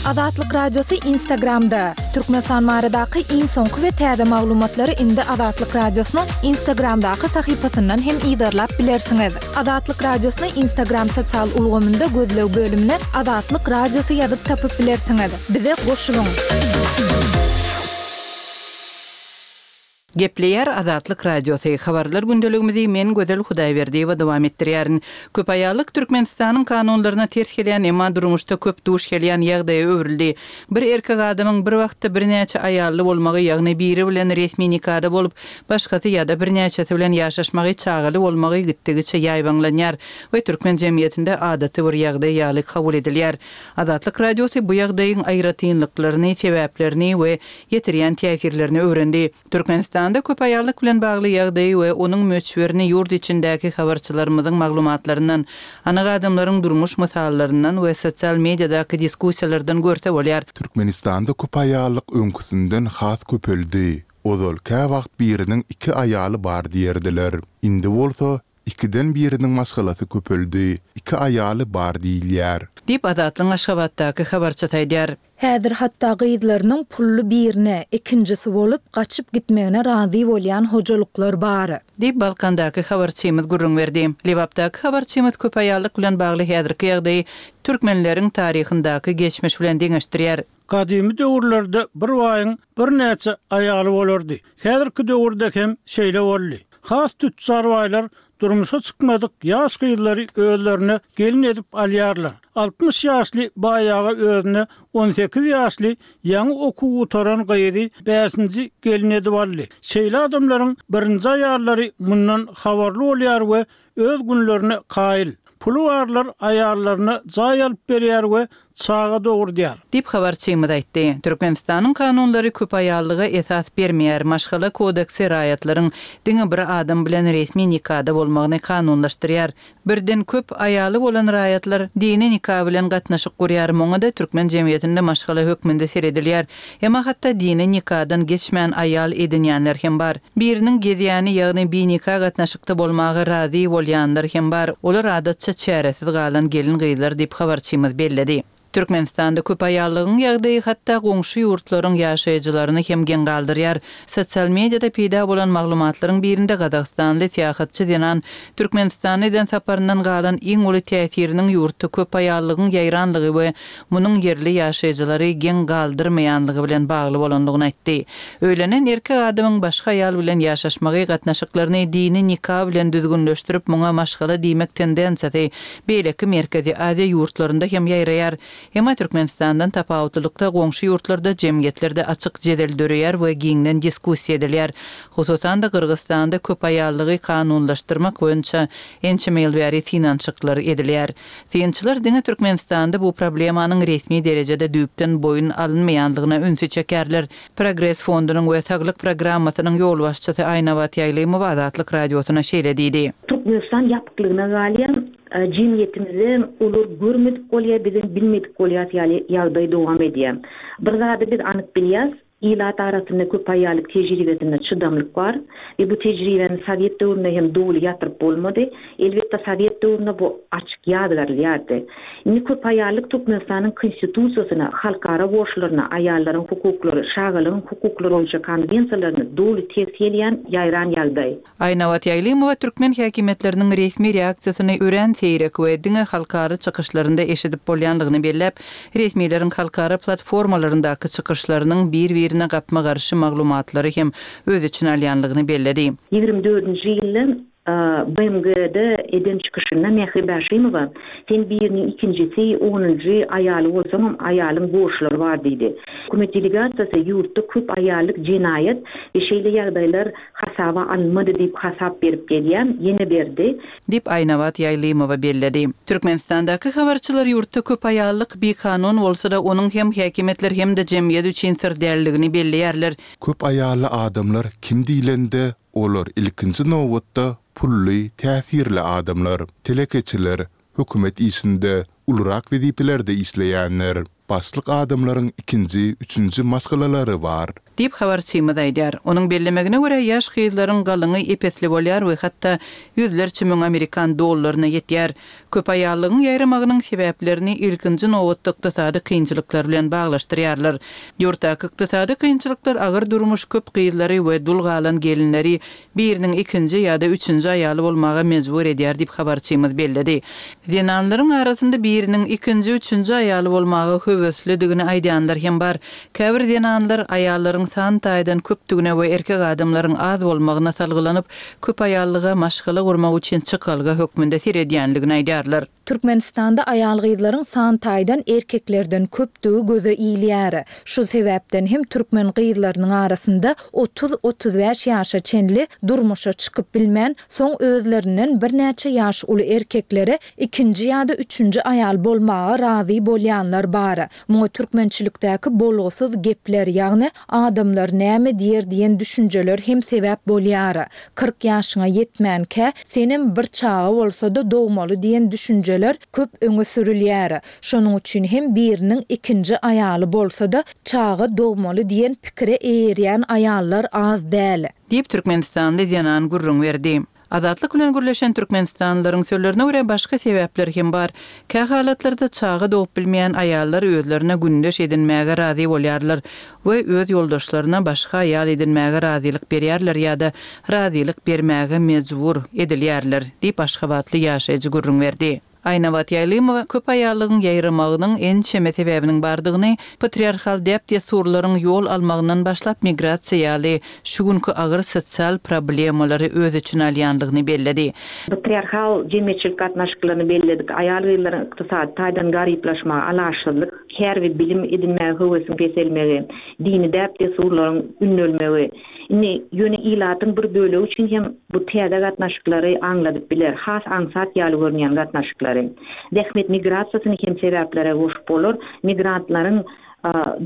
Azatlyk Radiosy Instagramda! Türkmenistan baradaky iň soňky we täze maglumatlary indi Azatlyk Radiosynyň Instagramdaky sahypasyndan hem yzarlap bilersiňiz. Azatlyk Radiosyny Instagram sosial ulgamynda gözleg bölümine Azatlyk Radiosy ýazyp tapyp bilersiňiz. Bize goşulyň! Gepleýär Azatlyk Radiosy, Habarlar gündeligimizi men Gözel Hudaýberdiýewa dowam etdirýärin. Köp aýallyk Türkmenistanyň kanunlaryna ters gelýän, emma durmuşda köp duş gelýän ýagdaýa öwrüldi. Bir erkek adamyň bir wagtda birnäçe aýally bolmagy, ýagny biri bilen resmi nikada bolup, başgasy ýa-da birnäçesi bilen ýaşaşmagy, çagaly bolmagy gitdigiçe ýaýbaňlanýar we türkmen jemgyýetinde adaty bir ýagdaý ýaly kabul edilýär. Azatlyk Radiosy bu ýagdaýyň aýratynlyklaryny, sebäplerini we ýetirýän täsirlerini öwrendi. Türkmenistanda köp aýallyk bilen bagly ýagdaýy we onuň möçberini ýurt içindäki habarçylarymyzyň maglumatlaryndan, anyk adamlaryň durmuş mysallaryndan we sosial mediadaky diskussiýalardan görse bolýar. Türkmenistanda köp aýallyk öňküsinden has köpeldi. Ozal käwagt biriniň iki aýaly bar diýerdiler. Indi bolsa ikiden biriniň maşgalasy köpeldi, iki aýaly bar diýilýär. Diýip, Azatlygyň Aşgabatdaky habarçysy aýdýar. Häzir hatda gyzlarynyň pully birine, ikinjisi bolup, gaçyp gitmegine razy bolýan hojalyklar bar. Diýip, Balkandaky habarçymyz gürrüň berdi. Lebapdaky habarçymyz köp aýallyk bilen bagly häzirki ýagdaýy türkmenleriň taryhyndaky geçmiş bilen deňeşdirýär. Gadymy döwürlerde bir baýyň birnäçe aýaly bolardy. Häzirki döwürde hem şeýle boldy. Has tüçjar baýlar durmuşa çykmadyk ýaş gyzlary özlerine gelin edip alýarlar. 60 ýaşly baý aga özüne 18 ýaşly ýaňy okuw gutaran gyzy bäşinji gelin edip aldy. Şeýle adamlaryň birinji aýallary mundan habarly bolýar we öz günlerine kaýyl. Puly barlar aýallaryna jaý alyp berýär we çaga dogurdýar. Diýip, habarçymyz aýtdy. Türkmenistanyň kanunlary köpaýallyga esas bermeýär, Maşgala kodeksi raýatlaryň diňe bir adam bilen resmi nikada bolmagyny kanunlaşdyrýar. Birden köp aýaly bolan raýatlar dini nika bilen gatnaşyk gurýar, muňa-da türkmen jemgyýetinde maşgala hökmünde seredilýär. Emma hatda dini nikadan geçmän aýal edinýänler hem bar. Biriniň gezýäni, ýagny binika gatnaşykda bolmaga razy bolýanlar hem bar, olar adatça çäresiz galan gelin-gyzlar diýip, habarçymyz belledi. Türkmenistanda köp aýallygyň ýagdaýy hatda goňşy ýurtlaryň ýaşaýjylaryny hem geň galdyrýar. Sosial mediada peýda bolan maglumatlaryň birinde gazagystanly syýahatçy zenan Türkmenistana eden saparyndan galan iň uly täsiriniň ýurtda köp aýallygyň ýaýranlygy we munuň ýerli ýaşaýjylary geň galdyrmaýanlygy bilen bagly bolandygyny aýtdy. Öýlenen erkek adamyň başga aýal bilen ýaşaşmagy gatnaşyklaryny dini nika bilen düzgünleşdirip muňa maşgala diýmek tendensiýasy beýleki Merkezi Aziýa ýurtlarynda hem ýaýraýar. Emma Türkmenistandan tapawutlylykda goňşy ýurtlarda jemgyýetlerde açyk jedel döreýär we giňden diskussiýa edilýär. Hususan-da Gyrgyzystanda köpaýallygy kanunlaşdyrmak boýunça ençeme ýyl bäri synanyşyklar edilýär. Synçylar diňe Türkmenistanda bu problemanyň resmi derejede düýpden boýun alynmaýandygyna ünsi çekýärler. Progres fondunyň we Saglyk programmasynyň ýolbaşçysy Aýnabat Ýaýlymowa Azatlyk Radiosyna şeýle diýdi. Türkmenistan ýapyklygyna galýar. Jemgyýetimizde olar görmedik bolýar, bizem bilmedik bolýas ýaly ýagdaý dowam edýär. Bir zady biz anyk bilýäs, Ilat arasynda köpaýallyk tejribesinde çydamlyk bar we bu tejribäni sowet döwründe hem doly ýatyryp bolmady. Elbetde, sowet döwründe bu açyk ýazgarylýardy. Indi köpaýallyk Türkmenistanyň Konstitusiýasyna, halkara borçlaryna, aýallaryň hukuklary, çagalaryň hukuklary boýunça konwensiýalaryna doly ters gelýän ýaýran ýagdaý. Aýnabat Ýaýlymowa türkmen häkimiýetleriniň resmi reaksiýasyny örän seýrek we diňe halkara çykyşlarynda eşidip bolýandygyny belläp, resmileriň halkara platformalaryndaky çykyşlarynyň bir-birine gapma-garşy maglumatlary hem öz içine alýandygyny belledi. Ýigrimi dördünji ýylda BMG-de eden çykyşynda Mähri Bäşimowa, Sen biriniň ikinjisi, onunjy aýaly bolsaňam, aýalyň borçlary bar diýdi. Hökümet delegasiýasy ýurtda köp aýallyk jenaýat we şeýle ýagdaýlar hasaba alynmady diýip hasap berip gelýär, ýene berdi. Diýip, Aýnabat Ýaýlymowa belledi. Türkmenistandaky habarçylar ýurtda köp aýallyk bikanun bolsa-da, onuň hem häkimiýetler hem-de jemgyýet üçin syr däldigini belleýärler. Köp aýally adamlar kim diýlende, olar ilkinji nobatda pully, täsirli adamlar, telekeçiler, hökümet işinde, ulurak wezipelerde işleýänler. Başlyk adamlaryň ikinji, üçünji maşgalalary bar. Diýip, habarçymyz aýdýar. Onuň bellemegine görä, ýaş gyzlaryň galyňy ep-esli bolýar we hatda ýüzlerçe müň amerikan dollaryna ýetýär. Köp aýallygyň ýaýramagynyň sebäplerini ilkinji nobatda ykdysady kynçylyklar bilen baglaşdyrýarlar. Ýurtdaky ykdysady kynçylyklar agyr durmuş köp gyzlary we dul galan gelinleri biriniň ikinji ýa-da üçünji aýaly bolmaga mejbur edýär diýip habarçymyz belledi. Zenanlaryň arasynda biriniň ikinji, üçünji aýaly bolmaga höweslidigini aýdýanlar hem bar. Käbir zenanlar aýallaryň san taýdan köpdügine we erkek adamlaryň az bolmagyna salgylanyp, köp aýallyga maşgala gurmak üçin çykalga hökmünde seredýändigini aýdýarlar. Türkmenistanda aýal-gyzlaryň san taýdan erkeklerden köpdügi göze ilýär. Şu sebäpden hem türkmen gyzlarynyň arasynda 30-35 ýaşa çenli durmuşa çykyp bilmän, soň özlerinden birnäçe ýaş uly erkeklere ikinji ýa-da üçünji aýal bolmaga razy bolýanlar bar. Muňa türkmençilikdäki bolgusyz gepler, ýagny adamlar näme diýer diýen düşünjeler hem sebäp bolýar. 40 ýaşyňa ýetmänkä, senem bir çaga bolsa-da dogmaly diýen düşünjeler köp öňe sürülýär. Şonuň üçin hem biriniň ikinji aýaly bolsa-da, çaga dogmaly diýen pikire eýerýän aýallar az däl. Diýip, türkmenistanly zenan gürrüň berdi. Azatlyk bilen gürleşen türkmenistanlylaryň sözlerine görä, başga sebäpler hem bar. Kähalatlarda çaga dogup bilmeýän aýallar özlerine gündeş edinmäge razy bolýarlar we öz ýoldaşlaryna başga aýal edinmäge razylyk berýärler ýa-da razylyk bermäge mejbur edilýärler, diýip, aşgabatly ýaşaýjy gürrüň berdi. Aýnabat Ýaýlymowa köp aýallygyň ýaýramagynyň ençeme sebäbiniň bardygyny, patriarhal däp-dessurlaryň ýol almagyndan başlap migrasiýa ýaly şu günki agyr sosial problemalary öz içine alýandygyny belledi. Patriarhal jemgyýetçilik gatnaşyklaryny belledik, aýal-gyzlaryň ykdysady taýdan garyplaşmagy, alaçsyzlyk, kär we bilim edinmäge höwesiň peselmegi, dini däp-dessurlaryň ündelmegi, Indi ýöne ilatyň bir bölegi üçin hem bu täze gatnaşyklary aňladyp biler, has aňsat ýaly görünýän gatnaşyklary. Zähmet migrasiýasyny hem sebäplere goşup bolar, migrantlaryň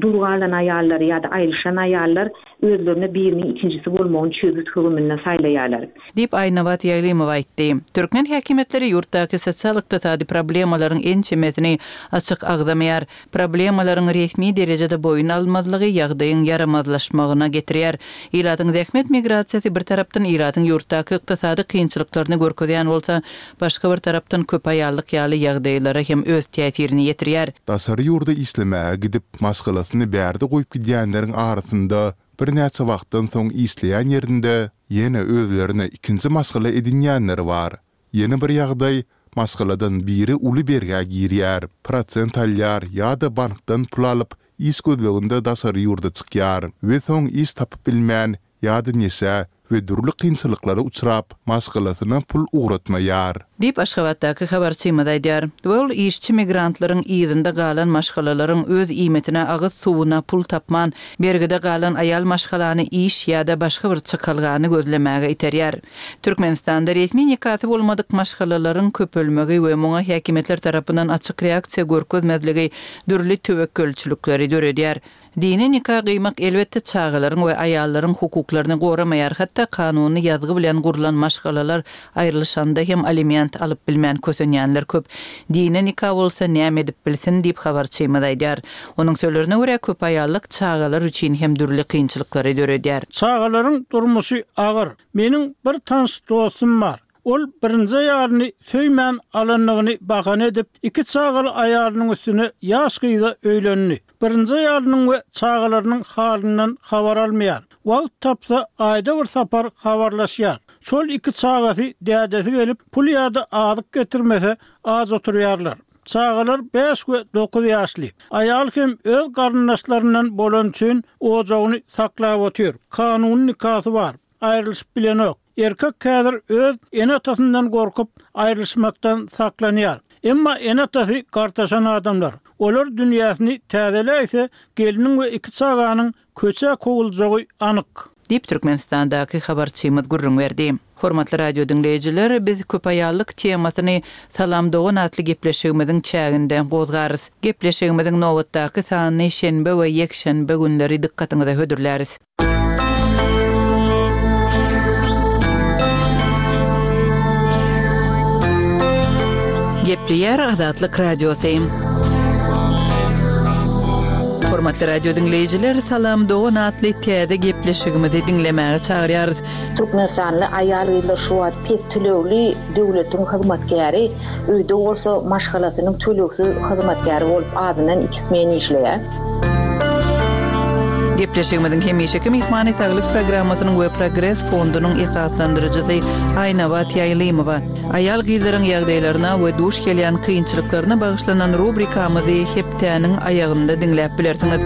dul galan aýallary ýa-da aýrylyşan aýallar özlerine biriniň ikinjisi bolmagyny çözgüt högüminde saýlaýarlar. Diýip, Aýnabat Ýaýlymowa aýtdy. Türkmen häkimiýetleri ýurtdaky sosial-ykdysady problemalaryň ençemesini açyk agzamaýar. Problemalaryň resmi derejede boýun alynmazlygy ýagdaýyň ýaramazlaşmagyna getirýär. Ilatyň zähmet migrasiýasy bir tarapdan ilatyň ýurtdaky ykdysady kynçylyklaryny görkezýän bolsa, başga bir tarapdan köp aýallyk ýaly ýagdaýlara hem öz täsirini ýetirýär. Daşary ýurda işlemäge gidip, maşgalasyny bärde goýup gidýänleriň arasynda birnäçe wagtdan soň işleýän ýerinde ýene özlerine ikinji maşgala edinýänler bar. Ýene bir ýagdaý, maşgaladan biri uly bergä girýär, prosent alýar ýa-da bankdan pul alyp, iş gözleginde daşary ýurda çykýar we soň iş tapyp bilmän ýa-da neşä we dürli kynçylyklara uçrap, maşgalasyna pul ugratmaýar. Diýip, Aşgabatdaky habarçymyz aýdýar. We ol işçi migrantlaryň yzynda galan maşgalalaryň öz iýmitine, agyz suwuna pul tapman, bergide galan aýal maşgalany iş ýa-da başga bir çykalgany gözlemäge iterýär. Türkmenistanda resmi nikasy bolmadyk maşgalalaryň köpelmegi we muňa häkimiýetler tarapyndan açyk reaksiýa görkezmezligi dürli töwekgelçilikleri döredýär. Dini nika gyýmak elbetde çagalaryň we aýallaryň hukuklaryny goramaýar, hatda kanuny ýazgy bilen gurlan maşgalalar aýrylyşanda hem aliment alyp bilmän kösenýänler köp. Dini nika bolsa näme edip bilsin diýip habarçymyz aýdýar. Onuň sözlerine görä köp aýallyk çagalar üçin hem dürli kynçylyklary döredýär. Çagalaryň durmuşy agyr. Meniň bir tanyş dostum bar. Ol birinji aýalyny söýmän alandygyny bahana edip, iki çagaly aýalynyň üstüne ýaş gyza öýlendi. Birinji aýalynyň we çagalarynyň halyndan habar almaýar. Wagt tapsa, aýda bir sapar habarlaşýar. Şol iki çagasy dädesi gelip, pul ýa-da azyk getirmese, aç oturýarlar. Çagalar bäş we dokuz ýaşly. Aýal hem öz garyndaşlaryndan bolany üçin ojagyny saklap otyr. Kanuny nikasy bar. Aýrylyşyp bilenok. Erkek häzir öz ene-atasyndan gorkup, aýrylyşmakdan saklanýar. Emma ene-atasy gartaşan adamlar. Olar dünýäsini täzeläýse, gelniň we iki çaganyň köçä kowuljagy anyk. Diýip, Türkmenistandaky habarçymyz gürrüň berdi. Hormatly radio diňleýjiler, biz köpaýallyk temasyny Salam dogan atly gepleşigimiziň çäginde gozgarys. Gepleşigimiziň nobatdaky sanyny şenbe we ýekşenbe günleri dykgatyňyza hödürläris. Gepleýär Azatlyk Radiosy. Hormatly radio diňleýjiler, Salam dogan atly täze gepleşigimizi diňlemäge çagyrýarys. Türkmenistanly aýal-gyzlar şu wagt pes tölegli döwletiň hyzmatkäri, öýde bolsa maşgalasynyň tölegsiz hyzmatkäri bolup azyndan iki smen işleýär. Gepleşigimiziň hemişeki myhmany Saglyk programmasynyň we Progres fondunyň esaslandyryjysy Aýnabat Ýaýlymowa. Aýal-gyzlaryň ýagdaýlaryna we duş gelýän kynçylyklaryna bagyşlanan rubrikamyzy hepdäniň aýagynda diňläp bilersiňiz.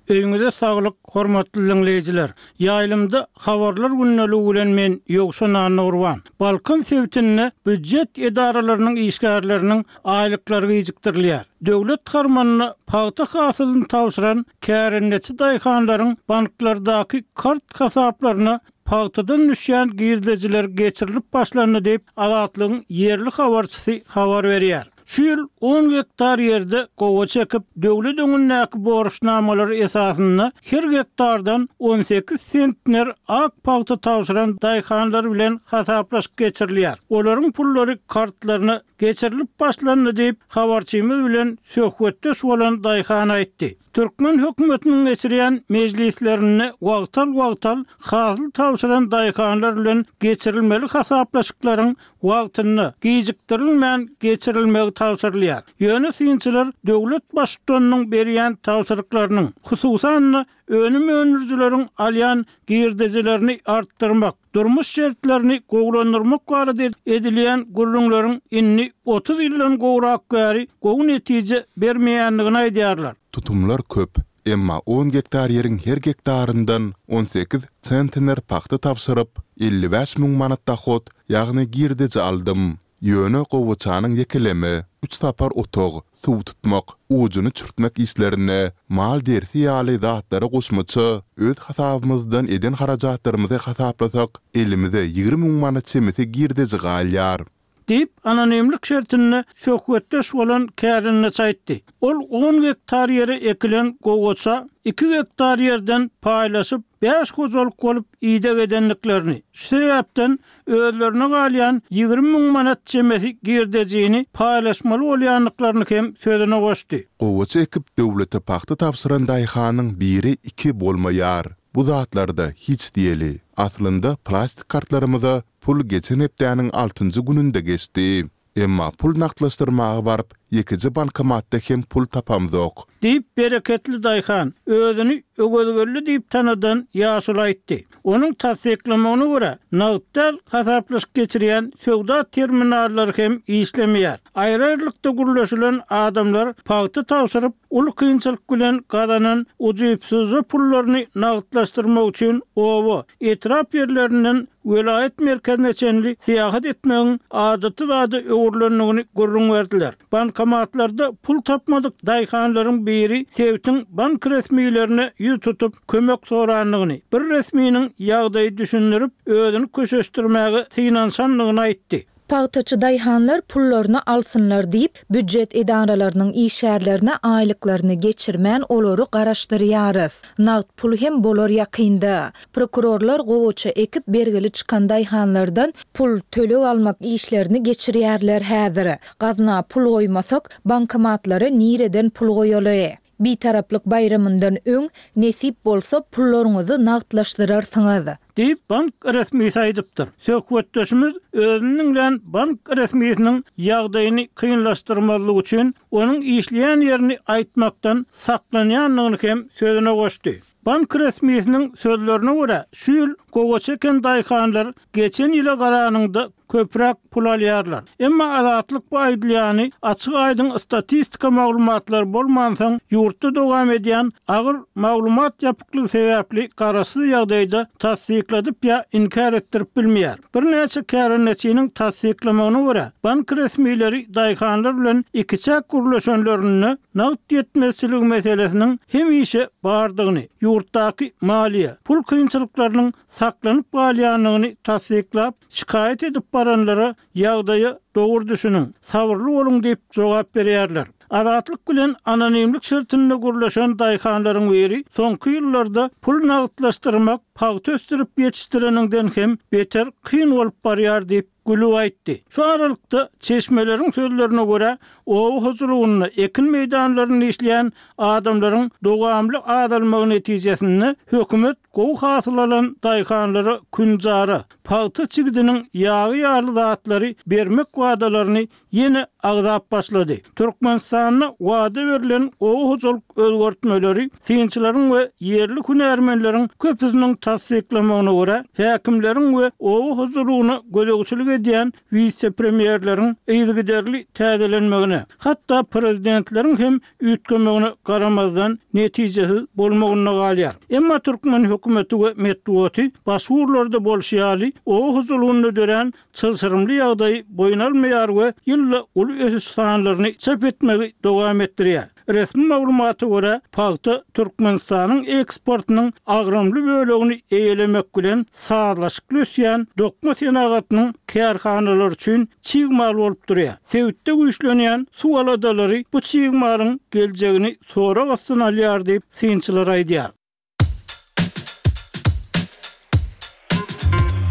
Öýüňize saglyk, hormatly diňleýjiler! Ýaýlymda Habarlar gündeligi bilen men, Ýowşan Annagurban. Balkan sebitinde býujet edaralarynyň işgärleriniň aýlyklary gijikdirilýär. Döwlet harmanyna pagta hasylyny tabşyran kärendeçi daýhanlaryň banklardaky kart hasaplaryna pagtadan düşýän girdejiler geçirilip başlandy diýip, Azatlygyň ýerli habarçysy habar berýär. Şu ýyl on gektar ýerde gowaça ekip, döwlet öňündäki borçnamalary esasynda her gektardan 18 sentner ak pagta tabşyran daýhanlar bilen hasaplaşyk geçirilýär. Olaryň pullary kartlaryna geçirilip başlandy diýip, habarçymyz bilen söhbetdeş bolan daýhan aýtdy. Türkmen hökümetiniň geçirýän mejlislerinde wagtal-wagtal hasyl tabşyran daýhanlar bilen geçirilmeli hasaplaşyklaryň wagtynda, gijikdirilmän geçirilmegi tabşyrylýar. Ýöne synçylar döwlet baştutanynyň berýän tabşyryklarynyň, hususan-da, önüm öndürijileriň alýan girdejilerini artdyrmak, durmuş şertlerini gowulandyrmak barada edilýän gürrüňleriň indi 30 ýyldan gowrak bäri gowy netije bermeýändigini aýdýarlar. Tutumlar köp, emma on gektar ýeriň her gektaryndan 18 sentner pagta tabşyryp, 55 müň manat dohod, ýagny girdeji aldym. Ýöne gowaçanyň ýekeleme, üç sapar otag, suw tutmak, ujuny çürtmek işlerine, mal dersi ýaly zatlara goşmaça öz hasabymyzdan eden harajatlarymyzy hasaplasak, elimize 20 müň manat çemesi girdeji galýar. Diýip, anonimlik şertinde söhbetdeş bolan kärendeçi aýtdy. Ol on gektar ýere ekilen gowaça iki gektar ýerden paýlaşyp, bäş hojalyk bolup ideg edendiklerini, şu sebäpden özlerine galýan 20 müň manat çemesi girdejini paýlaşmaly bolýandyklaryny hem sözüne goşdy. Gowaça ekip, döwlete pagta tabşyran daýhanyň biri iki bolmaýar. Bu zatlarda hiç diýeli. Aslynda plastik kartlarymyza pul geçen hepdäniň altynjy gününde geçdi. Emma pul nagtlaşdyrmaga baryp, ýekeje bankomatda hem pul tapamzok. Diýip, bereketli daýhan, özüni Öwezgeldi diýip tanadan ýaşuly aýtdy. Onuň tassyklamagyna görä, nagt däl hasaplaşyk geçirýän söwda terminallary hem işlemeýär. Aýry-aýrylykda gürleşilen adamlar pagta tabşyryp, uly kynçylyk bilen gazanan ujypsyzja pullaryny nagtlaşdyrmak üçin oba, etrap ýerlerinden welaýat merkezine çenli syýahat etmegiň adaty zada öwrülendigini gürrüň berdiler. Bankomatlarda pul tapmadyk daýhanlaryň biri sebitiň bank resmilerine ýüz tutup, kömek sorandygyny, bir resminiň ýagdaýy düşündirip, özüni köşeşdirmäge synanyşandygyny aýtdy. Pagtaçy daýhanlar pullaryny alsynlar diýip, býujet edaralarynyň işgärlerine aýlyklaryny geçirmän olary garaşdyrýarys. Nagt pul hem bolar ýakynda. Prokurorlar gowaça ekip bergili çykan daýhanlardan pul, töleg almak işlerini geçirýärler häzir. Gazna pul goýmasak, bankomatlara nireden pul goýaly? Bitaraplyk baýramyndan öň, nesip bolsa, pullaryňyzy nagtlaşdyrarsyňyz. Diýip, bank resmisi aýdypdyr. Söhbetdeşimiz özüni diňlän bank resmisiniň ýagdaýyny kynlaşdyrmazlyk üçin, onuň işleýän ýerini aýtmakdan saklanýandygyny hem sözüne goşdy. Bank resmisiniň sözlerine görä, şu ýyl gowaça eken daýhanlar geçen ýyla garanyňda köpräk pul alýarlar. Emma Azatlyk bu aýdylýany açyk-aýdyň statistika maglumatlary bolmansoň, ýurtda dowam edýän agyr maglumat ýapyklygy sebäpli garaşsyz ýagdaýda tassykladyp ýa inkär etdirip bilmeýär. Birnäçe kärendeçiniň tassyklamagyna görä, bank resmileri daýhanlar bilen ikiçäk gürleşenlerinde nagt ýetmezçiligi meselesiniň hemişe bardygyny, ýurtdaky maliýe, pul kynçylyklarynyň saklanyp galýandygyny tassyklap, şikaýat edip baranlara ýagdaýa dogry düşüniň, sabyrly boluň diýip jogap berýärler. Azatlyk bilen anonimlik şertinde gürleşen daýhanlaryň biri soňky ýyllarda pul nagtlaşdyrmak pagta ösdürip ýetişdireniňden hem beter kyn bolup barýar diýip. gülüp aýtdy. Şu aralykda, çeşmeleriň sözlerine görä, oba hojalygynda, ekin meýdanlarynda işleýän adamlaryň dowamly azalmagy netijesinde hökümet gowy hasyl alan daýhanlara künjara, pagta çigidiniň ýagy ýaly zatlary bermek wadalaryny ýene agzap başlady. Türkmenistanda wada berlen oba hojalyk özgertmeleri synçylaryň we ýerli hünärmenleriň köpüsiniň tassyklamagyna görä, häkimleriň we oba hojalygyna gözegçilik edýän wise-premýerleriň yzygiderli täzelenmegine, hatda prezidentleriň hem üýtgemegine garamazdan, netijesiz bolmagynda galýar. Emma türkmen hökümeti we metbugaty başga ugurlarda bolşy ýaly, oba hojalygynda dörän çylşyrymly ýagdaýy boýun almaýar we ýylda uly ösüş sanlaryny çap etmegi dowam etdirýär. Resmi maglumata görä, pagta Türkmenistanyň eksportynyň agramly bölegini eýelemek bilen, sazlaşykly ösýän dokma senagatynyň kärhanalary üçin çig mal bolup durýar. Sebitde güýçlenýän suw aladalary bu çig malyň geljegini sorag astyna alýar diýip, synçylar aýdýar.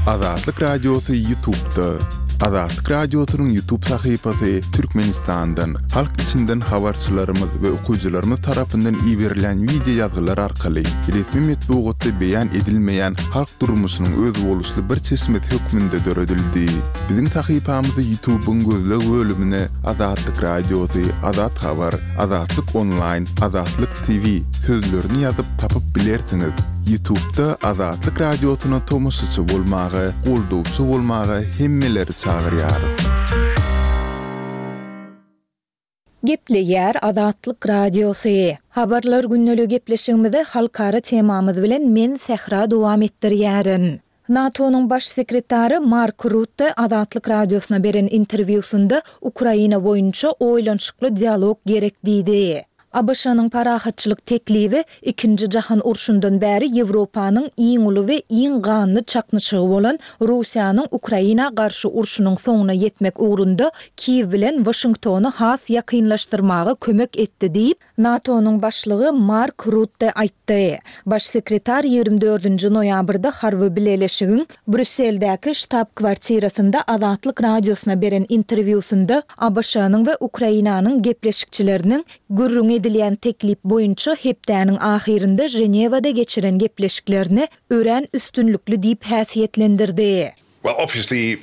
Azatlyk Radiosy Ýutubda. Azatlyk Radiosynyň Ýutub sahypasy Türkmenistandan, halk içinden habarçylarymyz we okyjylarymyz tarapyndan iberilýän wideo ýazgylar arkaly resmi metbugatda beýan edilmeýän halk durmuşynyň özboluşly bir çeşmesi hökmünde döredildi. Biziň sahypamyzy Ýutubyň gözleg bölümine Azatlyk Radiosy, Azat Habar, Azatlyk Onlaýn, Azatlyk TV sözlerini ýazyp tapyp bilersiňiz. Ýutubda Azatlyk Radiosyna tomaşaçy bolmaga, goldawçy bolmaga hemmeleri çagyrýarys. Gepleýär Azatlyk Radiosy. Habarlar gündeligi gepleşigimizi halkara temamyz bilen men Sähra dowam etdirýärin. NATO-nyň Baş sekretary Mark Rutte Azatlyk Radiosyna beren interwýusynda Ukraina boýunça oýlanyşykly dialog gerek diýdi. ABŞ-nyň parahatçylyk teklibi Ikinji jahan urşundan bäri Ýewropanyň iň uly we iň ganly çaknyşygy bolan Russiýanyň Ukraina garşy urşunyň soňuna ýetmek ugrunda Kiýew bilen Waşingtony has ýakynlaşdyrmaga kömek etdi diýip, NATO-nyň başlygy Mark Rutte aýtdy. Baş sekretar 24-nji noýabrda harby bileleşigiň Brýusseldäki ştab-kwartirasynda Azatlyk Radiosyna beren interwýusynda ABŞ-nyň we Ukrainanyň gepleşikçileriniň gürrüňi edilýän teklip boýunça hepdäniň ahyrynda Ženewada geçiren gepleşiklerini örän üstünlikli diýip häsiýetlendirdi. Well, obviously,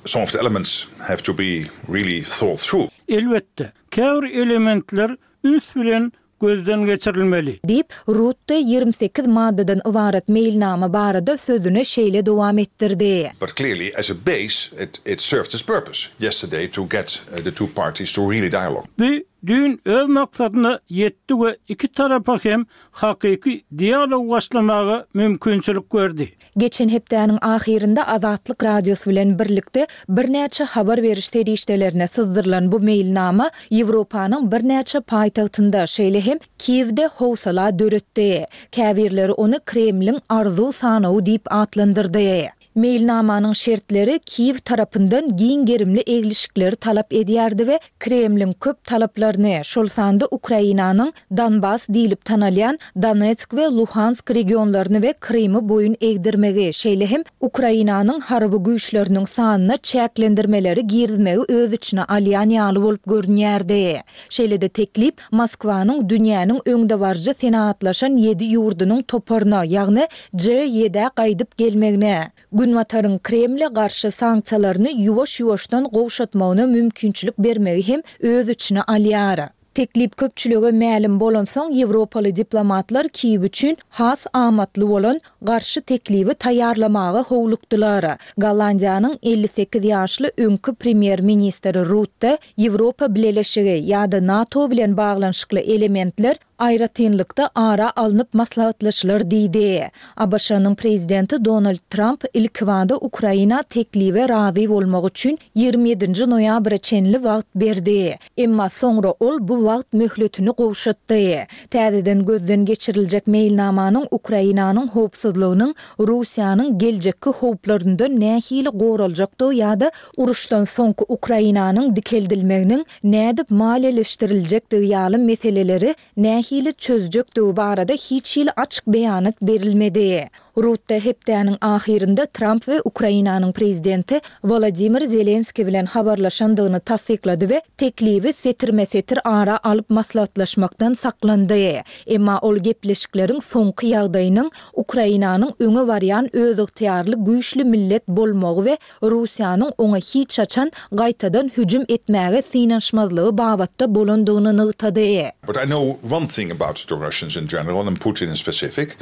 some of the elements have to be really thought through. Elbetde, Käbir elementler üns bilen gözden geçirilmeli. Diýip, Rutte 28 maddadan ybarat meýilnama barada sözüne şeýle dowam etdirdi. But clearly as a base it it served its purpose yesterday to get the two parties to really dialogue. Bu düýn öz maksadyna ýetdi we iki tarapa hem hakyky dialog başlamaga mümkinçilik berdi. Geçen hepdäniň ahyrynda Azatlyk Radiosy bilen birlikde birnäçe habar beriş serişdelerine syzdyrylan bu meýilnama Ýewropanyň birnäçe paýtagtynda, şeýle hem Kiýewde howsala döretdi. Käbirleri ony Kremliň arzuw sanawy diýip atlandyrdy. Meýilnamanyň şertleri Kiýew tarapyndan giň gerimli eglişikleri talap edýärdi we Kremliň köp talaplaryny, şol sanda Ukrainanyň Donbas diýlip tanalýan Donetsk we Luhansk regionlaryny we Krymy boýun egdirmegi, şeýle hem Ukrainanyň harby güýçleriniň sanyna çäklendirmeleri girizmegi öz içine alýan ýaly bolup görünýärdi. Şeýle-de teklip Moskwanyň dünýäniň öňdebaryjy senagatlaşan ýedi ýurdunyň toparyna, ýagny G-ýedä gaýdyp gelmegine, Günbataryň Kremle garşy sanksiýalaryny ýuwaş-ýuwaşdan gowşatmagyna mümkinçilik bermegi hem öz içine alýar. Teklip köpçülige mälim bolansoň, ýewropaly diplomatlar Kiýew üçin has amatly bolan garşy teklibi taýýarlamaga howlukdylar. Gollandiýanyň 58 ýaşly öňki premýer-ministri Rutte Ýewropa Bileleşigi ýa-da NATO bilen baglanyşykly elementler aýratynlykda ara alnyp maslahatlaşylar diýdi. ABŞ-nyň prezidenti Donald Tramp ilkibada Ukraina teklibe razy bolmak üçin 27-nji noýabra çenli wagt berdi. Emma soňra ol bu wagt möhletini gowşatdy. Täzeden gözden geçiriljek meýilnamanyň Ukrainanyň howpsuzlygynyň Russiýanyň geljekki howplaryndan nähili goraljakdygy ýa-da uruşdan soňky Ukrainanyň dikeldilmeginiň nädip maliýeleşdiriljekdigi ýaly meseleleri nähili. nähili çözjekdigi barada hiç hili açyk beýanat berilmedi. Rutte hepdäniň ahyrynda Tramp we Ukrainanyň prezidenti Wolodymyr Zelenskiý bilen habarlaşandygyny tassyklady we teklibi setirme-setir ara alyp maslahatlaşmakdan saklandy. Emma ol gepleşikleriň soňky ýagdaýynyň Ukrainanyň öňe barýan özygtyýarly güýçli millet bolmagy we Russiýanyň oňa hiç haçan gaýtadan hüjüm etmäge synanyşmazlygy babatda bolandygyny nygtady. But I know one thing about the Russians in general and Putin in specific,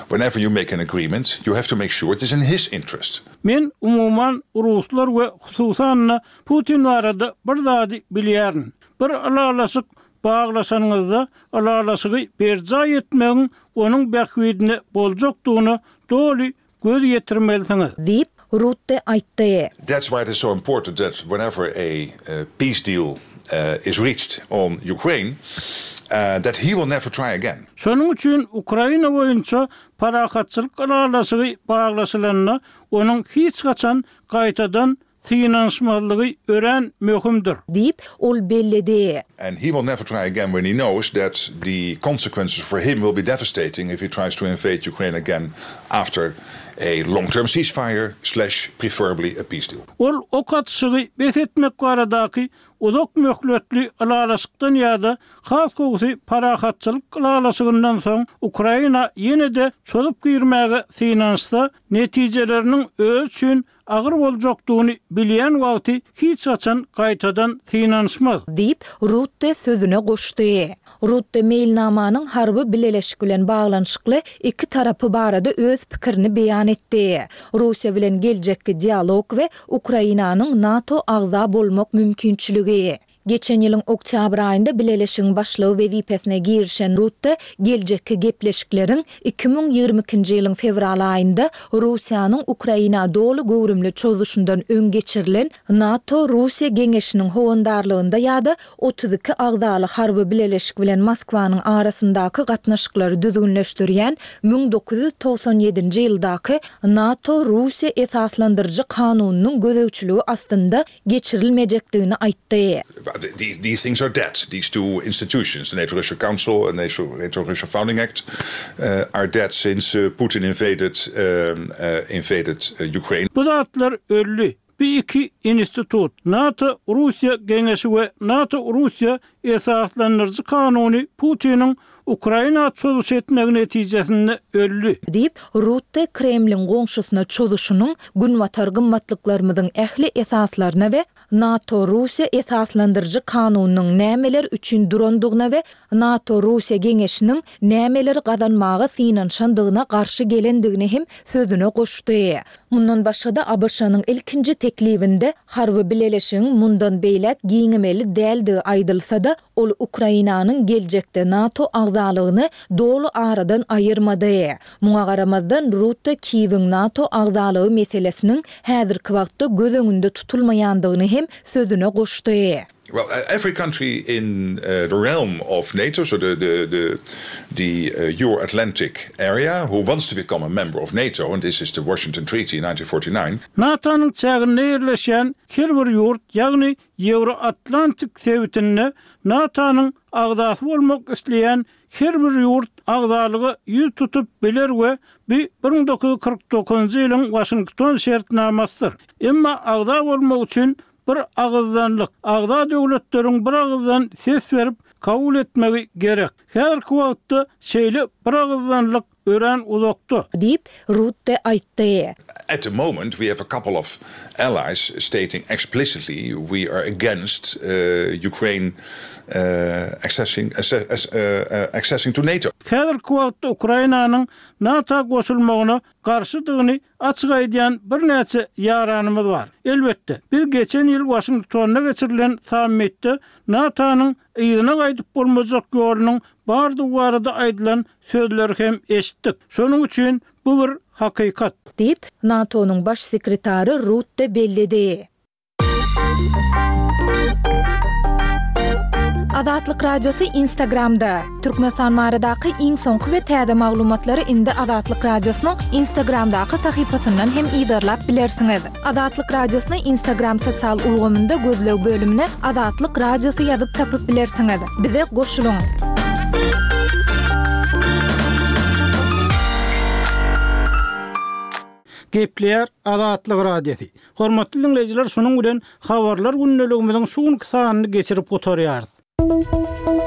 whenever you make an agreement, you have to make sure it is in his interest. Men, umuman, ruslar we hususan-da Putin barada bir zady bilýärin. Bir ylalaşyk baglaşanyňyzda, ylalaşygy berjaý etmegiň onuň bähbidine boljakdygyna doly göz ýetirmelisiňiz. Diýip, Rutte aýtdy. That's why it is so important that whenever a peace deal is reached on Ukraine, that he will never try again. Şonuň üçin Ukraina boýunça parahatçylyk ylalaşygy baglaşylanda, onuň hiç haçan gaýtadan synanyşmazlygy örän möhümdir. Diýip, ol belledi. And he will never try again when he knows that the consequences for him will be devastating if he tries to invade Ukraine again after a long-term ceasefire slash preferably a peace deal. Ol ok atyşygy bes etmek baradaky uzak möhletli ylalaşykdan ýa-da has gowusy parahatçylyk ylalaşygyndan soň Ukraina ýene-de çozup girmäge synanyşsa, netijeleriniň özi üçin agyr boljakdygyny bilýän wagty hiç haçan gaýtadan synanyşmaz. Diýip, Rutte sözüne goşdy. Rutte meýilnamanyň harby bileleşik bilen baglanyşykly iki tarapy barada öz pikirini beýan etdi, Russiýa bilen geljekki dialog we Ukrainanyň NATO agza bolmak mümkinçiligi. Geçen ýylyň oktýabr aýynda Bileleşigiň başlygy wezipesine girişen Rutte geljekki gepleşikleriň 2022-nji ýylyň fewral aýynda Russiýanyň Ukraina doly göwrümli çozuşyndan öň geçirilen NATO-Russiýa geňeşiniň howandarlygynda ýa-da 32 agzaly harby bileleşik bilen Moskwanyň arasyndaky gatnaşyklary düzgünleşdirýän 1997-nji ýyldaky NATO-Russiýa esaslandyryjy kanunynyň gözegçiligi astynda geçirilmejekdigini aýtdy. These things are dead. These two institutions, the NATO-Russia Council and NATO-Russia Founding Act, are dead since Putin invaded invaded Ukraine. Bu zatlar öldi. Bu iki institut, NATO-Russiýa Geňeşi we NATO-Russiýa Esaslandyryjy kanuny Putiniň Ukraina çozuş etmegi netijesinde öldi. Diýip, Rutte Kremliň goňşusyna çozuşynyň günbatar gymmatlyklarymyzyň ähli esaslaryna we NATO-Russiýa esaslandyryjy kanunynyň nämeler üçin durandygyna we NATO-Russiýa geňeşiniň nämeleri gazanmaga synanyşandygyna garşy gelendigini hem sözüne goşdy. Mundan başga-da, ABŞ-nyň ilkinji teklibinde harby bileleşigiň mundan beýläk giňemeli däldigi aýdylsa-da, ol Ukrainanyň geljekde NATO agzalygyny doly aradan aýyrmady. Muňa garamazdan, Rutte Kiýewiň NATO agzalygy meselesiniň häzirki wagtda göz öňünde tutulmaýandygyny hem sözüne goşdy. Well, every country in the realm of NATO, so the the the the Euro-Atlantic area, who wants to become a member of NATO, and this is the Washington Treaty in 1949. NATO-nyň çäginde ýerleşýän her bir ýurt, ýagny Ýewroatlantik sebitinde NATO-nyň agzasy bolmak isleýän her bir ýurt agzalyga ýüz tutup biler we bu 1949-njy ýylyň Waşington şertnamasydyr. Emma agza bolmak üçin Bir agyzdanlyk, agza döwletleriň bir agyzdan ses berip kabul etmegi gerek. Häzirki wagtda şeýle bir agyzdanlyk örän uzakda. Diýip, Rutte aýtdy. At the moment we have a couple of allies stating explicitly we are against Ukraine accessing accessing to NATO. Häzirki wagtda Ukrainanyň NATO goşulmagyna garşydygyny açyk aýdýan birnäçe ýaranymyz bar. Elbetde, biz geçen ýyl Waşingtonda geçirilen sammitde NATO-nyň yzyna gaýdyp bolmajak ýolunyň bardygy barada aýdylan sözleri hem eşitdik. Şonuň üçin bu bir hakykat. Diýip, NATO-nyň baş sekretary Rutte belledi. Azatlyk Radiosy Instagramda, Türkmenistan baradaky iň soňky we täze maglumatlary indi Azatlyk Radiosynyň Instagramdaky sahypasyndan hem yzarlap bilersiňiz. Azatlyk Radiosyny Instagram sosial ulgamynda gözleg bölümine Azatlyk Radiosy ýazyp tapyp bilersiňiz. Bize goşulyň! Gepleýär Azatlyk Radiosy. Hormatly diňleýjiler şunuň bilen Habarlar gündeligimiziň şu günki sanyny geçirip gutarýarys.